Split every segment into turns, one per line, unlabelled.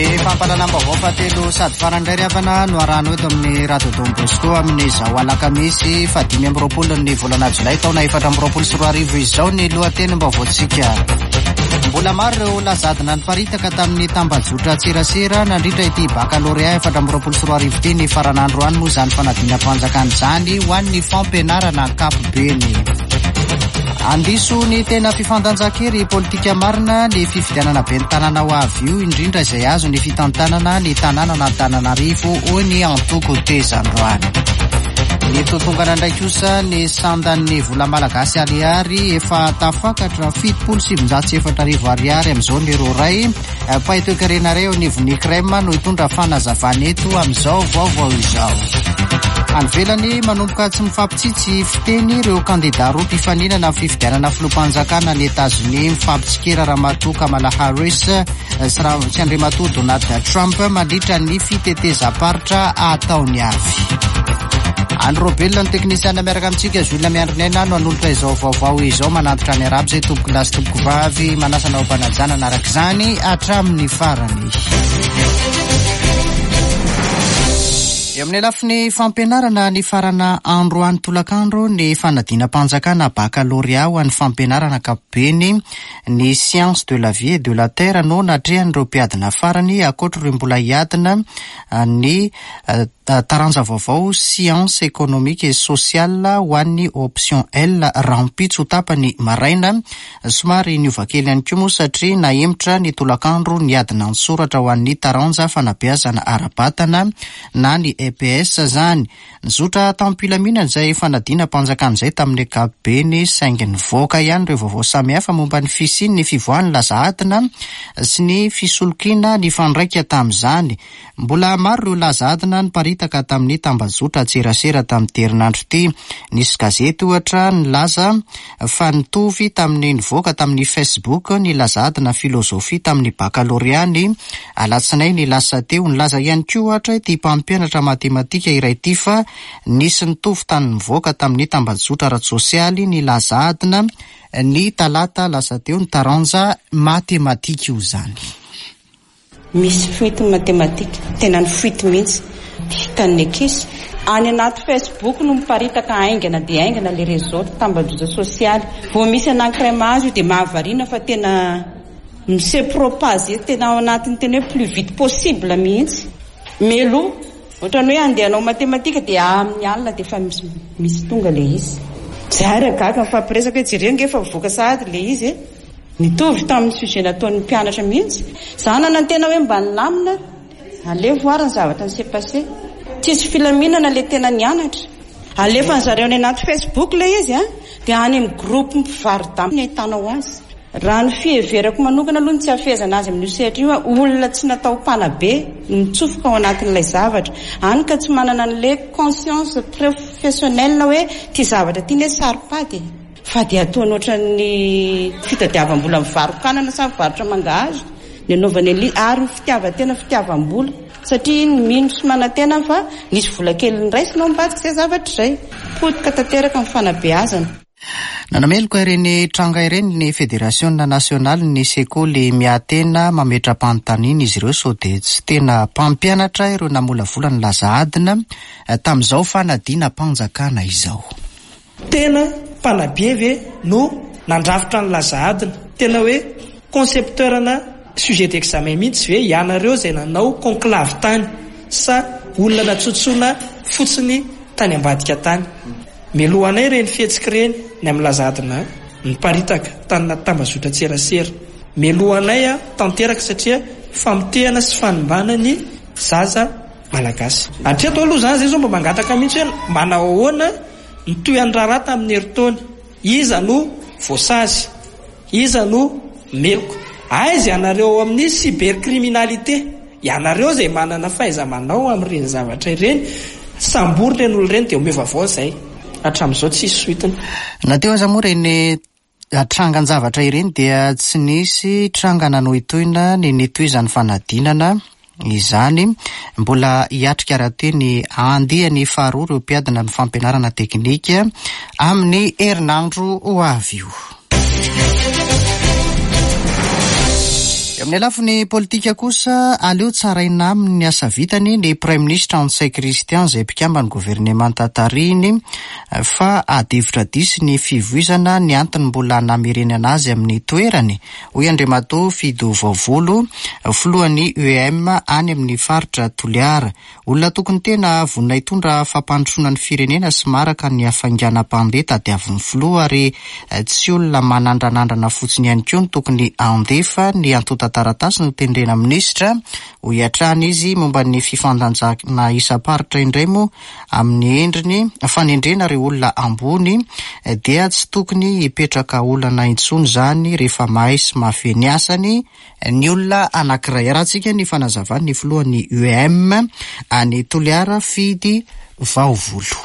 Ny fampahalalam-baovao fahatelo sady farany indray ry havana no arahanao eto amin'ny Radio Don Bosco amin'izao alakamisy faha 25 ny volana jolay taona 2024 izao ny lohatenim-baovaontsika. Mbola maro ireo lazadina niparitaka tamin'ny tambajotra tserasera nandritra ity bakalorea 2024 ity ny faran'androany moa izany fanadinam-panjakana izany ho an'ny fampianarana ankapobeny. Handiso ny tena fifandanjan-kery politika marina ny fifidianana ben'ny tanàna ho avy io, indrindra izay azo ny fitantanana ny tanànan'Antananarivo, hoy ny antoko Teza androany. Nitotongana indray kosa ny sandan'ny vola malagasy ariary efa tafakatra 4070 ariary amin'izao ny euro iray. Mpahay toekarena iray eo anivon'ny CREM no hitondra fanazavana eto amin'izao vaovao izao. Any ivelany, manomboka tsy mifampitsitsy fiteny ireo kandidà roa mpifaninana amin'ny fifidianana filoham-panjakana any Etazonia. Mifampitsikera Ramatoa Kamala Harris sy Andriamatoa Donald Trump mandritra ny fitetezam-paritra ataony avy. Andry Robelina no teknisiana miaraka amintsika, Jules Miandrinaina no hanolotra izao vaovao izao. Manantitra ny arabo izay tompoko lahy sy tompoko vavy, manasa anao am-panajana araka izany hatramin'ny farany. Eo amin'ny lafiny fampianarana, nifarana androany tolakandro ny fanadinam-panjakana bakalorea ho an'ny fampianarana ankapobeny. Ny Sciences de la vie et de la terre no natrehan'ireo mpiadina farany, ankoatr'ireo mbola hiadina ny taranja vaovao Sciences économiques et sociales ho an'ny option L rahampitso tapany maraina. Somary niova kely ihany koa moa satria nahemotra ny tolakandro ny adina an-tsoratra ho an'ny taranja fanabeazana ara-batana na ny EPS izany. Nizotra tamim-pilaminana izay fanadinam-panjakana izay tamin'ny ankapobeny saingy nivoaka ihany ireo vaovao samihafa momba ny fisian'ny fivoahan'ny laza adina sy ny fisolokiana nifandraika tamin'izany. Mbola maro ireo laza adina niparitaka tamin'ny tambajotran-tserasera tamin'ity herinandro ity. Nisy gazety, ohatra, nilaza fa nitovy tamin'ny nivoaka tamin'ny Facebook ny laza adina filozofia tamin'ny bakalorea ny alatsinainy lasa teo. Nilaza ihany koa, ohatra, ity mpampianatra matematika iray ity fa nisy nitovy tamin'ny nivoaka tamin'ny tambajotra ara-tsosialy ny laza adina ny talata lasa teo, ny taranja matematika io izany.
Misy fuite matematika, tena ny fuite mihitsy, hitan'ny ankizy. Any anaty Facebook no miparitaka haingana dia haingana ilay réseau, tambajotra sosialy. Vao misy anankiray mahazo io dia mahavariana fa tena mi-se propager tena ao anatin'ny tena hoe plus vite possible mihitsy. Mialoha, ohatran'ny hoe handeha hanao matematika dia amin'ny alina dia efa misy tonga ilay izy. Izahay ary gaga mifampiresaka hoe jereo ange efa mivoaka sahady ilay izy e. Nitovy tamin'ny sujet nataon'ny mpianatra mihitsy. Za nanantena hoe mba nilamina, aleo voir ny zavatra ni-se passer. Tsisy filaminana le tena nianatra. Alefan'ny zareo any anaty Facebook ilay izy an, dia any amin'ny groupe mpivaro-damba no ahitanao azy. Raha ny fiheverako manokana aloha ny tsy hahafehezana azy amin'io sehatra io an, olona tsy natao mpanabe no mitsofoka ao anatin'ilay zavatra. Any ka tsy manana an'ilay conscience professionnelle hoe ity zavatra ity anie saro-pady e. Fa dia ataony ohatran'ny fitadiavam-bola mivaro-kanana sa mivarotra mangahazo ny anaovany an'ilay ary ny fitiavan-tena fitiavam-bola satria iny mino sy manantena fa nisy vola kely noraisina ao ambadika izay zavatra izay. Potika tanteraka ny fanabeazana.
Nanameloka ireny tranga ireny ny Federasiona nasionalin'ny sekoly miahy-tena. Mametra-panontaniana izy ireo sao dia tsy tena mpampianatra ireo namolavola ny laza adina tamin'izao fanadinam-panjakana izao.
Tena mpanabe ve no nandrafitra ny laza adina? Tena hoe concepteur-na sujet d'examen mihitsy ve ianareo izay nanao conclave tany sa olona natsotsoina fotsiny tany ambadika tany? Melohanay ireny fihetsika ireny ny amin'ny laza adina niparitaka tany anaty tambazotran-tserasera. Melohanay tanteraka satria famotehana sy fanimbana ny zaza Malagasy. Hatreto aloha izany izay izao mba mangataka mihitsy hoe manao ahoana ny tohin'ny raharaha tamin'ny herintaona? Iza no voasazy? Iza no meloka? Aiza ianareo ao amin'ny cybercriminalité? Ianareo izay manana fahaiza-manao amin'ireny zavatra ireny, sambory ireny olona ireny dia omeo vaovao izay. Hatramin'izao tsisy suite-ny.
Na teo aza moa ireny Trangan-javatra ireny dia tsy nisy tranga nanohintohina ny nitohizan'ny fanadinana izany. Mbola hiatrika rahateo ny andiany faharoa ireo mpiadina amin'ny fampianarana teknika amin'ny herinandro ho avy io. Eo amin'ny lafiny politika kosa, aleo tsaraina aminy ny asa vitany ny Praiminisitra Ntsay Christian izay mpikamban'ny governemanta tarihiny fa ady hevitra diso ny fivoizana ny antony mbola namerenana azy amin'ny toerany, hoy Andriamatoa Fido Vaovolo, filohan'ny UEM any amin'ny faritra Toliara. Olona tokony tena vonona hitondra fampandrosoana ny firenena sy maraka ny hafainganam-pandeha tadiavin'ny filoha ary tsy olona manandranandrana fotsiny ihany koa no tokony handefa ny antontan-taratasy notendrena minisitra, hoy hatrany izy. Momba ny fifandanjana isam-paritra indray moa amin'ny endriny fanendrena ireo olona ambony dia tsy tokony hipetraka olana intsony izany rehefa mahay sy mahafehy ny asany ny olona anankiray. Arahantsika ny fanazavan'ny filohan'ny UEM any Toliara, Fidy Vaovolo.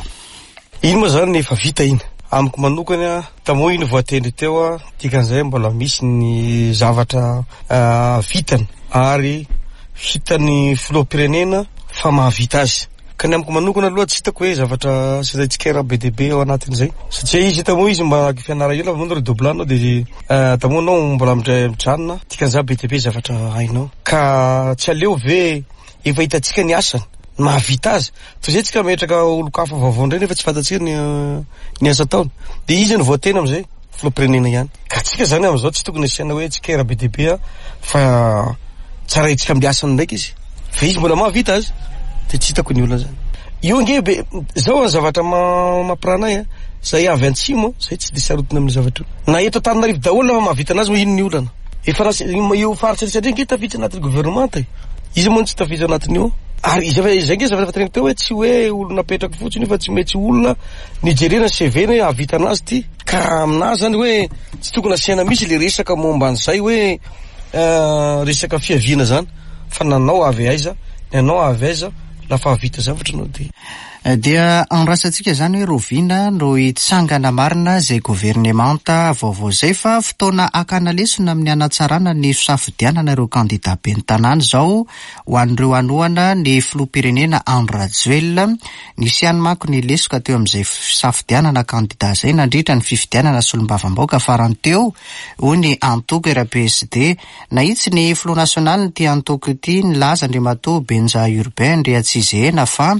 Iny moa zany efa vita iny. Amiko manokana, tamoa iny voatendry teo, dikan'izay mbola misy ny zavatra vitany ary hitan'ny filoham-pirenena fa mahavita azy. Ka ny amiko manokana aloha tsy hitako hoe zavatra asiana tsikera be dia be ao anatin'izay. Satria izy hita moa izy mba fianarana ela moa redoublant anao dia tamoa anao mbola mijanona, dikan'izany be dia be zavatra hainao. Ka tsy aleo ve efa hitantsika ny asany, ny mahavita azy, toy izay tsika mametraka olon-kafa vaovao indray nefa tsy fantatsika ny ny asa ataony. Dia izy no voatena amin'izay, filoham-pirenena ihany. Ka tsika zany amin'izao tsy tokony asiana hoe tsikera be dia be fa tsaraintsika amin'ny asany ndraiky izy. Fa izy mbola mahavita azy dia tsy hitako ny olana zany. Io ange be zao ny zavatra mampirana ahy a, zay avy antsimo zay tsy dia sarotiny amin'ny zavatra io. Na eto Antananarivo daholo na mahavita anazy moa ino ny olana. Efa lasa io faritra rehetra ange tafiditra anatin'ny gouvernement e. Iza moa no tsy tafiditra anatin'io? Ary izay fa izay ange zavatra efa teneniko teo hoe tsy hoe olona apetraka fotsiny io fa tsy maintsy olona nijerena ny CV-ny hoe hahavita anazy ity. Ka aminahy zany hoe tsy tokony asiana mihitsy le resaka momba an'izay hoe resaka fiaviana zany fa nanao avy aiza, ny anao avy aiza, lafa hahavita zavatra anao dia.
Dia andrasantsika izany hoe rahoviana no hitsangana marina izay governemanta vaovao izay fa fotoana hakana lesona amin'ny hanatsarana ny fisafidianana ireo kandida ben'ny tanàna izao ho an'ireo hanohana ny filoham-pirenena Andry Rajoelina. Nisy ihany manko ny lesoka teo amin'izay fisafidianana kandida izay nandritra ny fifidianana solombavambahoaka farany teo, hoy ny antoko RPSD. Nahitsy ny filoha nasionalin'ity antoko ity nilaza Andriamatoa Benja Urbain Andriatsizehena fa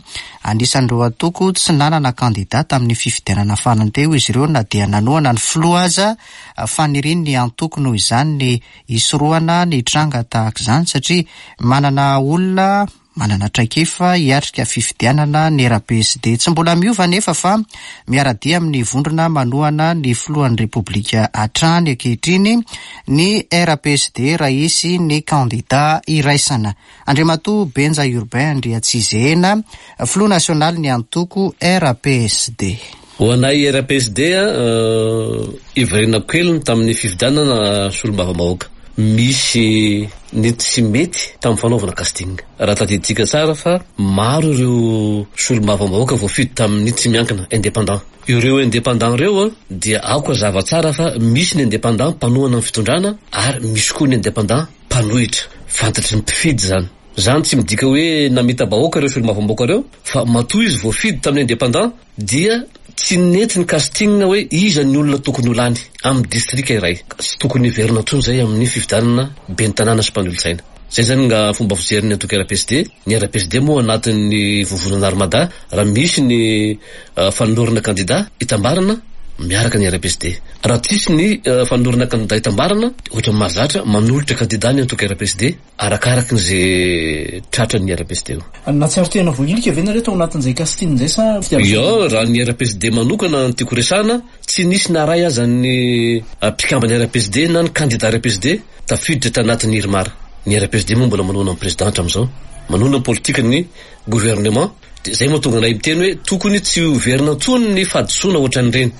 anisan'ireo antoko tsy nanana kandida tamin'ny fifidianana farany teo izy ireo na dia nanohana ny filoha aza. Fanirian'ny antoko noho izany ny hisorohana ny tranga tahaka izany satria manana olona Manana traikefa hiatrika fifidianana ny RPSD. Tsy mbola miova anefa fa miara-dia amin'ny vondrona manohana ny filohan'ny Repoblika hatrany ankehitriny ny RPSD raha hisy ny kandida iraisana. Andriamatoa Benja Urbain Andriatsizehena, filoha nasionalin'ny antoko RPSD.
Ho anay RPSD, hiverenako kely ny tamin'ny fifidianana solombavambahoaka. Misy ny tsy mety tamin'ny fanaovana casting. Raha tadidintsika tsara fa maro ireo solombavambahoaka voafidy tamin'ny tsy miankina, indépendant. Ireo indépendant ireo dia aoka hazava tsara fa misy ny indépendant mpanohana ny fitondrana ary misy koa ny indépendant mpanohitra. Fantatry ny mpifidy izany. Izany tsy midika hoe namita-bahoaka ireo solombavambahoaka ireo fa matoa izy voafidy tamin'ny indépendant dia tsy nety ny casting hoe iza ny olona tokony ho lany amin'ny distrika iray. Tsy tokony hiverina intsony izay amin'ny fifidianana ben'ny tanàna sy mpanolotsaina. Izay izany nga fomba fijerin'ny antoko RPSD. Ny RPSD moa anatin'ny vovonana Armada, raha misy ny fanolorana kandida hitambarana, miaraka ny RPSD. Raha tsisy ny fanolorana kandida hitambarana, ohatran'ny mahazatra, manolotra kandida ny antoko RPSD. Arakaraky ny ze tratran'ny RPSD eo.
Nahatsiaro tena voahilika ve nareo tao anatin'izay casting izay sa
fitiavana? Ia, raha ny RPSD manokana no tiako resahana, tsy nisy na ray aza ny mpikamban'ny RPSD na ny kandida RPSD tafiditra tanatin'ny IRMAR. Ny RPSD moa mbola manohana ny président hatramin'izao, manohana ny politikan'ny gouvernement, dia izay mahatonga anay miteny hoe tokony tsy ho verina intsony ny fahadisoana ohatran'ireny.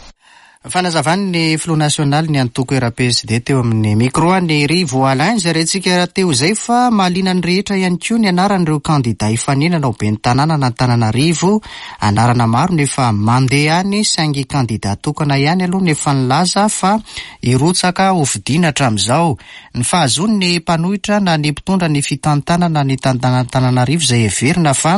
Fanazavan'ny filoha nasionalin'ny antoko RPSD teo amin'ny micro an'i Rivo Alain izay rentsika teo izay fa mahaliana ny rehetra ihany koa ny anaran'ireo kandida hifaninana ho ben'ny tanànan'Antananarivo. Anarana maro no efa mandeha any saingy kandida tokana ihany aloha no efa nilaza fa hirotsaka hofidiana hatramin'izao. Ny fahazoan'ny mpanohitra na ny mpitondra ny fitantanana ny tanànan'Antananarivo izay heverina fa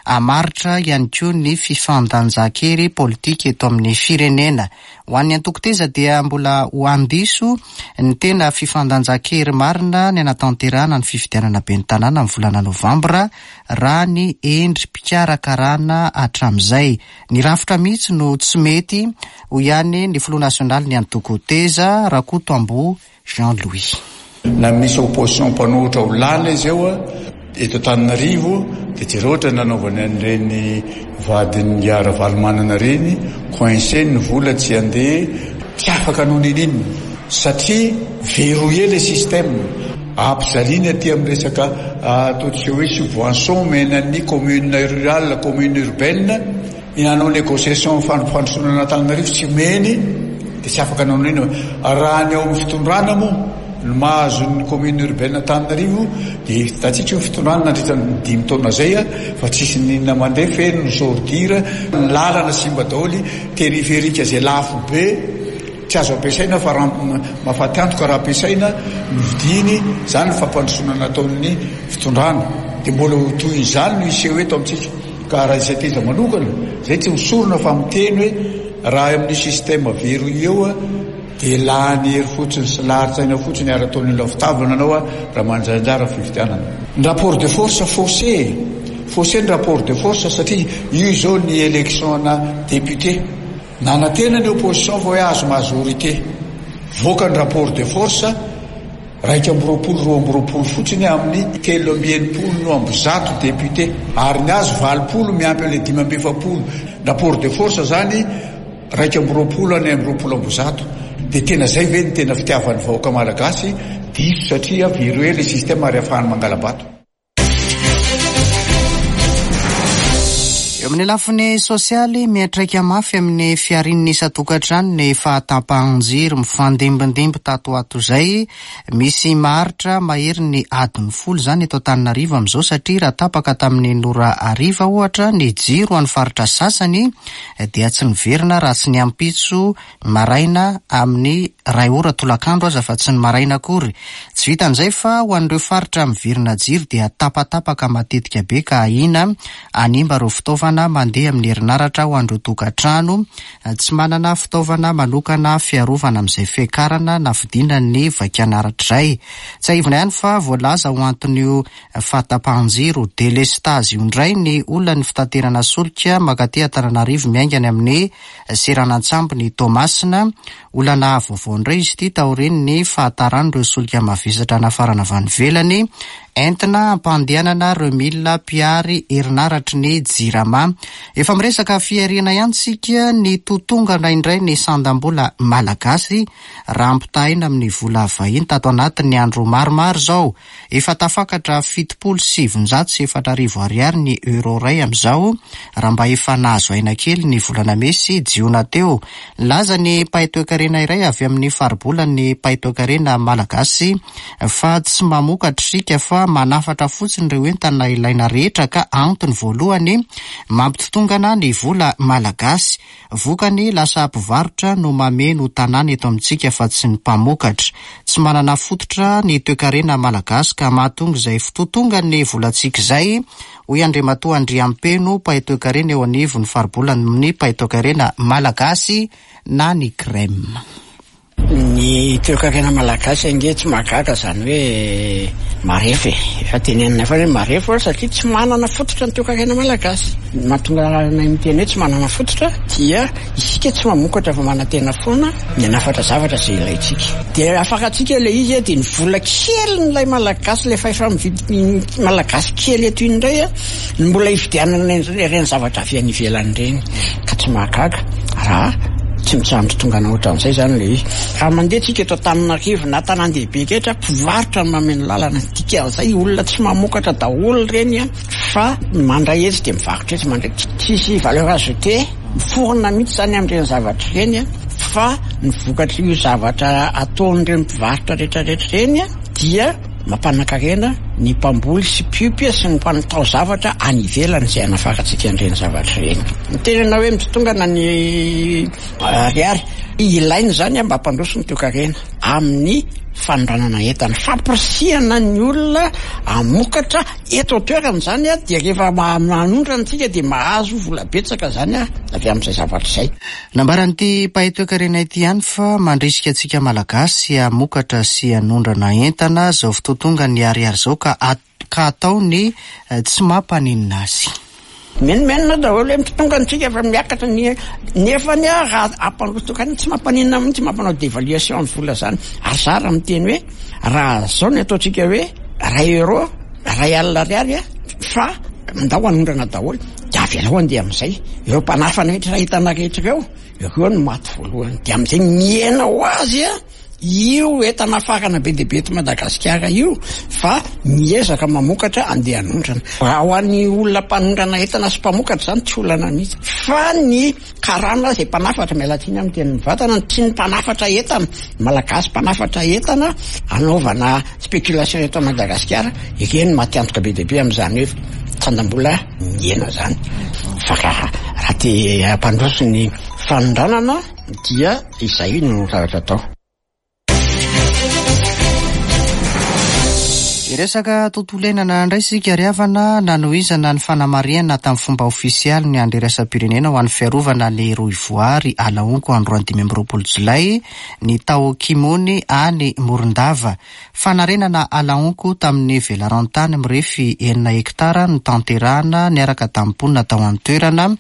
hamaritra ihany koa ny fifandanjan-kery politika eto amin'ny firenena. Ho an'ny antoko Teza dia mbola ho handiso ny tena fifandanjan-kery marina ny hanatanterahana ny fifidianana ben'ny tanàna amin'ny volana novambra raha ny endri-pikarakarana hatramin'izay. Ny rafitra mihitsy no tsy mety, hoy ihany ny filoha nasionalin'ny antoko Teza, Rakotoamboa Jean Louis.
Na misy opposition mpanohitra ho lany izy eo eto Antananarivo dia jereo ohatra ny nanaovany an'ireny vadin'ingahy Ravalomanana ireny, coincé ny vola tsy handeha, tsy afaka hanao n'inon'inona satria verrouillé le système, ampijaliany aty amin'ny resaka ataontsika hoe subvention omena ny commune rurale, commune urbaine. Ny hanao négociation fampandrosoana an'Antananarivo tsy omeny dia tsy afaka hanao n'inona. Raha ny ao amin'ny fitondrana moa no mahazo ny commune urbaine Antananarivo dia hitantsika io fitondrana nandritra ny dimy taona izay fa tsisy n'inona mandeha, feno ny ordure, ny lalana simba daholo, périphérique izay lafo be tsy azo ampiasaina fa mahafaty antoka raha ampiasaina ny vidiny, izany ny fampandrosoana nataon'ny fitondrana. Dia mbola ho toy izany no hiseho eto amintsika. Ka raha izay teza manokana, zay tsy misorona fa miteny hoe raha amin'io système verrouillé io dia lany hery fotsiny sy larin-tsaina fotsiny ary ataon'ny olona fitavana anao raha mandray anjara amin'ny fifidianana. Ny rapport de force faussé e! Faussé ny rapport de force satria io izao ny élection-na député. Nanantena ny opposition fa hoe azo majorité. Voaka ny rapport de force. 21 22 fotsiny amin'ny 163 députés ary ny azy 80 miampy an'ilay 45 rapport de force zany 21 any 120 dia tena zay ve ny tena fitiavan'ny vahoaka malagasy diso satria verrouillé le système ary afahany mangala-bato.
Eo amin'ny lafiny sosialy, miantraika mafy amin'ny fiharian'ny isan-tokantrano ny fahatapahan-jiro mifandimbindimby tato ho ato izay. Misy maharitra maherin'ny adiny folo izany eto Antananarivo amin'izao satria raha tapaka tamin'ny enina ora hariva ohatra ny jiro any faritra sasany dia tsy niverina raha tsy ny ampitso maraina amin'ny iray ora tolakandro aza fa tsy ny maraina akory. Tsy vitan'izay fa ho an'ireo faritra miverina jiro dia tapatapaka matetika be ka ahiana hanimba ireo fitaovana mandeha amin'ny herinaratra ho an'ireo tokantrano tsy manana fitaovana manokana fiarovana amin'izay fiakarana na fidinan'ny vakinaratra izay. Tsiahivina ihany fa voalaza ho anton'io fahatapahan-jiro, delestazy, io indray ny olan'ny fitaterana solika mankaty Antananarivo miainga any amin'ny seranan-tsambon'i Toamasina. Olana vaovao indray izy ity taorian'ny fahataran'ireo solika mavesatra nafarana avy any ivelany entina hampandehanana ireo milina mpihary herinaratry ny Jirama. Efa miresaka fihariana ihany isika, ny totongana indray ny sandam-bola malagasy raha ampitahaina amin'ny vola vahiny tato anatin'ny andro maromaro izao. Efa tafakatra 4070 ariary ny euro iray amin'izao, raha mba efa nahazo aina kely ny volana mey sy jiona teo. Nilaza ny mpahay toekarena iray avy amin'ny faribolan'ny mpahay toekarena malagasy fa tsy mamokatra isika fa manafatra fotsiny ireo entana ilaina rehetra ka antony voalohany mampitotongana ny vola malagasy. Vokany, lasa mpivarotra no mameno tanàna eto amintsika fa tsy ny mpamokatra. Tsy manana fototra ny toekarena malagasy ka mahatonga izay fitotongan'ny volantsika izay, hoy Andriamatoa Andriampeno, mpahay toekarena eo anivon'ny faribolan'ny mpahay toekarena malagasy na ny CREM.
Ny toekarena malagasy ange tsy mahagaga izany hoe marefo e. Efa teneninay foana hoe marefo satria tsy manana fototra ny toekarena malagasy. Ny mahatonga anay miteny hoe tsy manana fototra dia isika tsy mamokatra fa manantena foana ny hanafatra zavatra izay ilaintsika. Dia afakantsika ilay izy dia ny vola kelin'ilay malagasy, ilay fahefa-mividy malagasy kely eto iny indray no mbola hividianana ireny zavatra avy any ivelany ireny. Ka tsy mahagaga raha tsy mitsahatra tongana ohatran'izay izany ilay izy. Raha mandeha tsika eto Antananarivo na tanàn-dehibe rehetra, mpivarotra no mameno lalana. Dikan'izay olona tsy mamokatra daholo ireny an, fa mandray etsy dia mivarotra etsy, mandray. Tsisy valeur ajoutée miforona mihitsy izany amin'ireny zavatra ireny an, fa ny vokatr'io zavatra ataon'ireny mpivarotra rehetra rehetra ireny an, dia Mampanan-karena ny mpamboly sy mpiompy sy ny mpanao zavatra any ivelany izay anafarantsika an'ireny zavatra ireny. Ny tena hoe mitotongana ny ariary. Ilaina izany mba hampandroso ny toekarena amin'ny fanondranana entana. Fampirisihana ny olona hamokatra eto an-toerana izany dia rehefa manondrana isika dia mahazo vola betsaka izany avy amin'izay zavatra izay.
Nambaran'ity mpahay toekarena ity ihany fa mandrisika antsika Malagasy hamokatra sy hanondrana entana izao fotoan-tonga ny ariary izao ka ka atao ny tsy mampaninona azy.
Menomenona daholo hoe tonga antsika fa miakatra ny nefa ny raha ampandroso tokana tsy mampaninona mihitsy mampanao dévaluation ny vola zany. Ary za raha miteny hoe raha zao ny ataontsika hoe ray euro, ray alina ariary fa ndao hanondrana daholo dia avelao handeha amin'izay. Ireo mpanafana rehetra entana rehetra ireo, ireo no maty voalohany. Dia amin'izay mihena ho azy Io entana afarana be dia be eto Madagasikara io fa miezaka mamokatra andeha hanondrana. Raha ho an'ny olona mpanondrana entana sy mpamokatra izany tsy olana mihitsy. Fa ny karana izay mpanafatra, miala tsiny amin'ny teny mivantana, tsy ny mpanafatra entana, ny Malagasy mpanafatra entana anaovana spéculation eto Madagasikara, ireny maty antoka be dia be amin'izany hoe sandam-bola mihena izany. Fa raha te hampandroso ny fanondranana, Dia izay no zavatra atao.
Hiresaka tontolo iainana indray isika ry havana, nanohizana ny fanamarihana tamin'ny fomba ofisialy ny andro iraisam-pirenena ho an'ny fiarovana ny rohivoary Alaonko androany 25 jolay ny tao Kimony any Morondava. Fanarenana ala honko tamin'ny velaran-tany mirefy enina hektara notanterahana niaraka tamin'ny mponina tao an-toerana,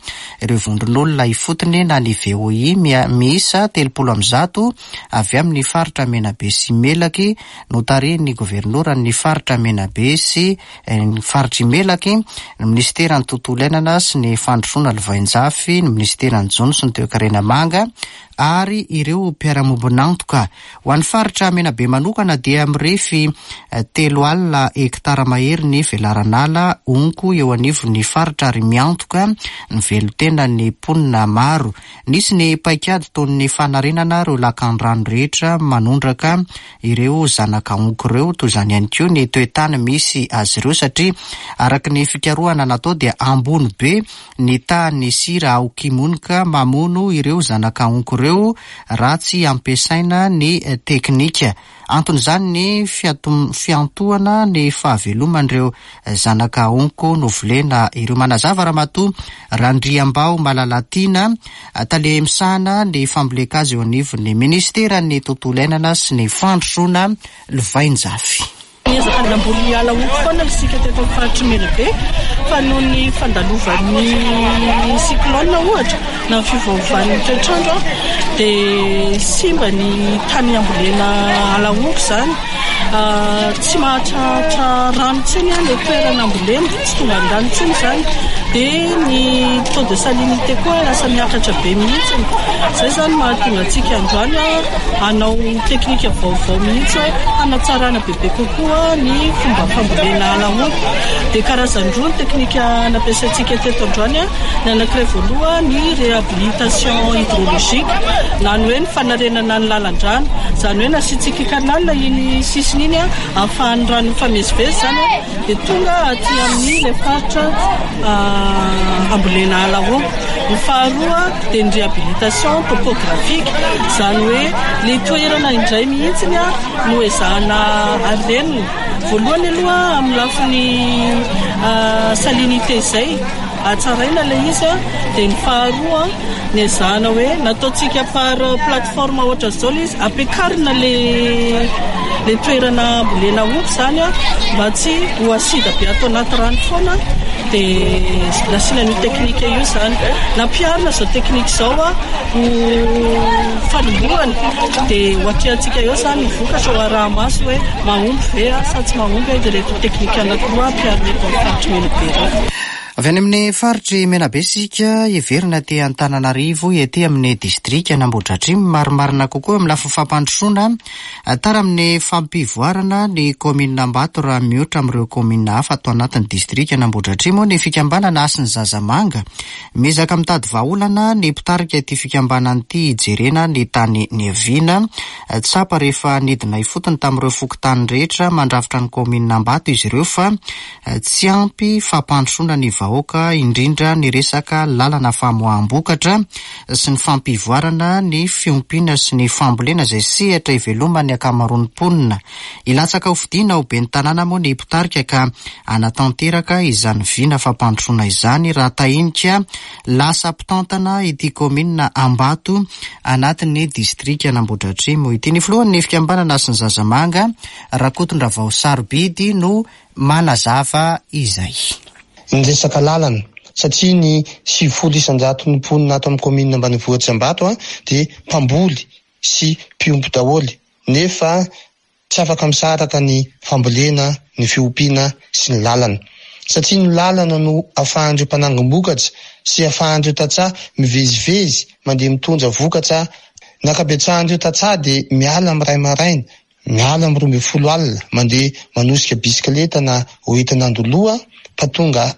ireo vondron'olona ifotony na ny VOI miisa 130 avy amin'ny faritra Menabe sy Melaky notarihin'ny governoran'ny faritra Menabe sy ny faritr'i Melaky, ny minisiteran'ny Tontolo iainana sy ny fandrosoana lovainjafy, ny minisiteran'ny Jono sy ny toekarena manga ary ireo mpiara-mombon'antoka. Ho an'ny faritra Menabe manokana dia mirefy 30 hektara mahery ny velaran'ala honko eo anivon'ny faritra ary miantoka ny velon-tenan'ny mponina maro. Nisy ny paikady toy ny fanarenana ireo lakan-drano rehetra manondraka ireo zanaka honko ireo, toy izany ihany koa ny toe-tany misy azy ireo satria araka ny fikarohana natao dia ambony be ny tahan'ny sira ao Kimonika mamono ireo zanaka honko ireo raha tsy ampiasaina ny teknika. Anton'izany ny fiantohana ny fahaveloman'ireo zanaka honko novolena ireo. Manazava Ramatoa Randriambao Malalatiana, tale misahana ny fambolen-kazo eo anivon'ny minisiteran'ny Tontolo iainana sy ny fandrosoana lovainjafy.
Niezaka namboly ala honko foana isika teto amin'ny faritr'i Menabe fa noho ny fandalovan'ny cyclone ohatra na ny fiovaovan'ny toetr'andro dia simba ny tany ambolena ala honko izany. Tsy mahatratra rano intsony ilay toerana ambolena, tsy tonga ny rano intsony izany. Dia ny taux de salinité koa lasa miakatra be mihitsy. Izay izany mahatonga antsika androany hanao teknika vaovao mihitsy hanatsarana bebe kokoa ny fomba fambolena ala honko. Dia karazany roa ny teknika nampiasaintsika teto androany. Ny anankiray voalohany ny réhabilitation hydrologique na ny hoe ny fanarenana ny lalan-drano. Izany hoe nasiantsika canal iny sisiny iny ahafahan'ny rano mifamezivezy izany dia tonga aty amin'ny ilay faritra ambolena ala honko. Ny faharoa dia ny réhabilitation topographique, izany hoe ilay toerana indray mihitsy no ezahana harenina. Voalohany aloha amin'ny lafiny salinité izay, hatsaraina ilay izy, dia ny faharoa ny ezahana hoe nataontsika par plateforme ohatran'izao ilay izy, ampiakarina ilay toerana ambolena honko izany mba tsy ho acide be ato anaty rano foana. Dia nasiana an'io teknika io izany. Nampiharina izao teknika izao ho fanombohana. Dia ho atrehantsika eo izany ny vokatra ho araha-maso hoe mahomby ve sa tsy mahomby ireto teknika anankiroa ampiharina eto amin'ny faritr'i Menabe ireto.
Avy any amin'ny faritr'i Menabe isika, hiverina aty Antananarivo, ety amin'ny distrikan'Ambohidratrimo, marimarina kokoa amin'ny lafiny fampandrosoana. Tara amin'ny fampivoarana ny kaominina Ambato raha mihoatra amin'ireo kaominina hafa ato anatin'ny distrikan'Ambohidratrimo ny fikambanana Hasin'ny Zazamanga. Miezaka mitady vahaolana ny mpitarika ity fikambanana ity hijerena ny tany niaviana. Tsapa rehefa nidina ifotony tamin'ireo fokontany rehetra mandrafitra ny kaominina Ambato izy ireo fa tsy ampy fampandrosoana ny vahoaka. vahoaka indrindra ny resaka lalana famoaham-bokatra sy ny fampivoarana ny fiompiana sy ny fambolena izay sehatra iveloman'ny ankamaroan'ny mponina. Hilatsaka ho fidiana ho ben'ny tanàna moa ny mpitarika ka hanatanteraka izany vina fampandrosoana izany raha tahinika lasa mpitantana ity kaominina Ambato anatin'ny distrikan'Ambohidratrimo ity. Ny filohan'ny fikambanana Hasin'ny Zazamanga, Rakotondravao Sarobidy no manazava izay.
Ny resaka lalana, satria ny 90 isan-jaton'ny mponina ato amin'ny kaominina ambanivohitr'i Ambato dia mpamboly sy mpiompy daholo, nefa tsy afaka misaraka ny fambolena, ny fiompiana sy ny lalana. Satria ny lalana no afahan'ireo mpanangom-bokatra sy afahan'ireo tantsaha mivezivezy mandeha mitondra vokatra. Ny ankabetsahan'ireo tantsaha dia miala amin'ny iray maraina, miala amin'ny 12 alina, mandeha manosika bisikileta na hoentina andoloha fa tonga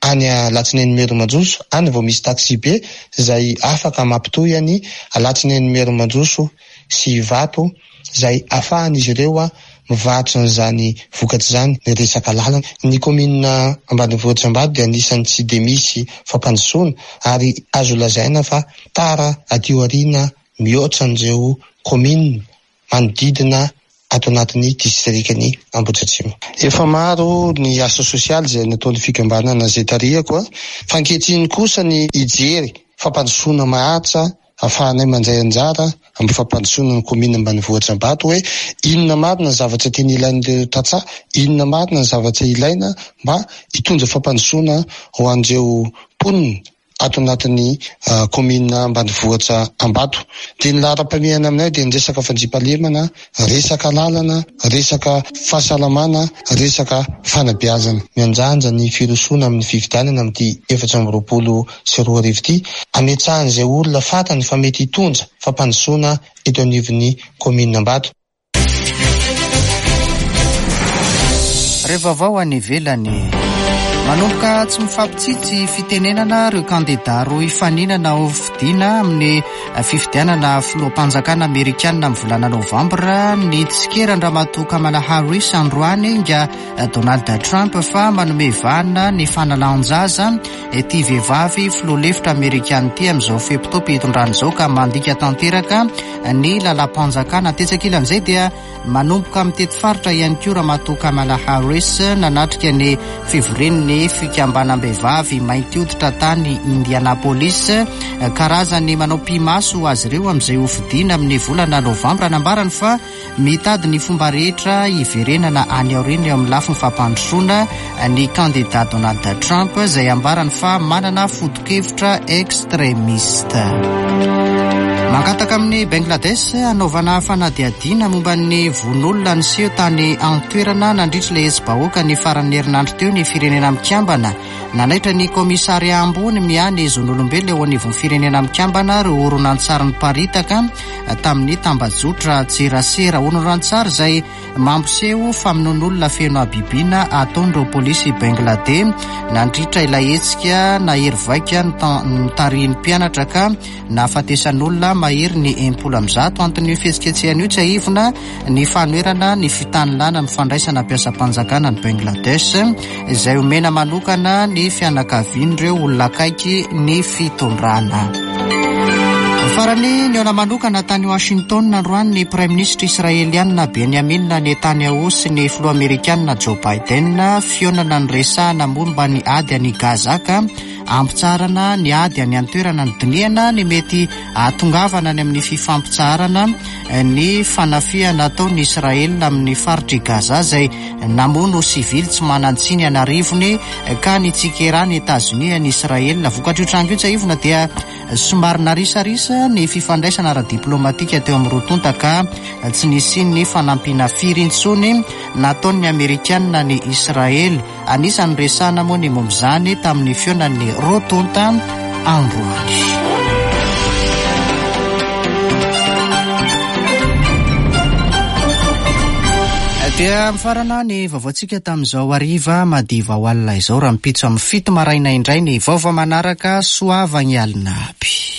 any Alatsinainy Merimandroso, any vao misy taxi-be izay afaka mampitohy an'i Alatsinainy Merimandroso sy Ivato izay afahan'izy ireo mivarotra an'izany vokatra izany. Ny resaka lalana, ny kaominina ambanivohitra Ambato dia anisan'ny tsy dia misy fampandrosoana ary azo lazaina fa tara aty aoriana mihoatra an'ireo kaominina manodidina ato anatin'ny distrikan'i Ambohidratrimo. Efa maro ny asa sosialy izay nataon'ny fikambanana izay tarihako fa ankehitriny kosa ny hijery fampandrosoana maharitra ahafahanay mandray anjara amin'ny fampandrosoana ny kaominina ambanivohitra Ambato hoe inona marina ny zavatra tena ilain'ireo tantsaha, inona marina ny zavatra ilaina mba hitondra fampandrosoana ho an'ireo mponina ato anatin'ny kaominina ambanivohitra Ambato. Dia ny laharam-pahamehana aminay dia ny resaka fandriampahalemana, resaka lalana, resaka fahasalamana, resaka fanabeazana. Mianjanja ny firosoana amin'ny fifidianana amin'ity 2024 ity, hametrahan'izay olona fantany fa mety hitondra fampandrosoana eto anivon'ny kaominina Ambato.
Ireo vaovao any ivelany. Manomboka tsy mifampitsitsy fitenenana ireo kandidà roa hifaninana ho fidiana amin'ny fifidianana filoham-panjakana amerikanina amin'ny volana novambra ny tsikeran-dRamatoa Kamala Harris androany inga Donald Trump fa manome vahana ny fanalan-jaza ity vehivavy filoha lefitra amerikana ity amin'izao fe-potoam-pitondrana izao ka mandika tanteraka ny lalam-panjakana. Tetsy ankilan'izay dia manomboka mitety faritra ihany koa Ramatoa Kamala Harris nanatrika ny fivorian'ny fikambanam-behivavy mainty hoditra tany Indianapolis. Karazany manao pi-maso azy ireo amin'izay hofidiana amin'ny volana novambra. Nambarany fa Mitady ny fomba rehetra hiverenana any aoriana eo amin'ny lafiny fampandrosoana ny kandidà Donald Trump izay ambarany fa manana foto-kevitra extremiste. Mangataka amin'i Bangladesh hanaovana fanadihadiana momba ny vono-olona niseho tany an-toerana nandritra ilay hetsi-bahoaka ny faran'ny herinandro teo ny Firenena Mikambana. Nanaitra ny Kaomisaria ambony miahy ny zon'olombelona eo anivon'ny Firenena Mikambana ireo horonantsary niparitaka tamin'ny tambajotra tserasera. Horonantsary izay mampiseho famonoan'olona feno habibiana ataon'ireo polisy Bangladey nandritra ilay hetsika nahery vaika notarihin'ny mpianatra ka nahafatesan'olona mahery ny 160. Anton'io fihetsiketsehana io tsiahivina ny fanoherana ny fitanilana ny fandraisana mpiasam-panjakana any Bangladesh izay omena manokana ny fianakavian'ireo olona akaiky ny fitondrana. Farany, nihaona manokana tany Washington androany ny Praiminisitra Israelianina Benjamin Netanyahu sy ny filoha Amerikanina Joe Biden. Fihaonana niresahana momba ny ady any Gaza ka ampitsaharana ny ady any an-toerana nodinihana ny mety hahatongavana any amin'ny fifampitsaharana ny fanafihana ataon'i Israel amin'ny faritr'i Gaza izay namono sivily tsy manan-tsiny an'arivony ka nitsikeran'i Etazonia an'i Israel. Vokatr'io tranga io tsiahivina dia somary narisarisa ny fifandraisana ara-diplaomatika teo amin'ny roa tonta ka tsy nisian'ny fanampiana firy intsony nataon'ny Amerikanina an'i Israely. Anisan'ny noresahana moa ny momba izany tamin'ny fihaonan'ny roa tonta androany. Dia mifarana ny vaovaontsika tamin'izao hariva madiva ho alina izao. Rahampitso amin'ny 7 maraina indray ny vaovao manaraka. Soava ny alina aby.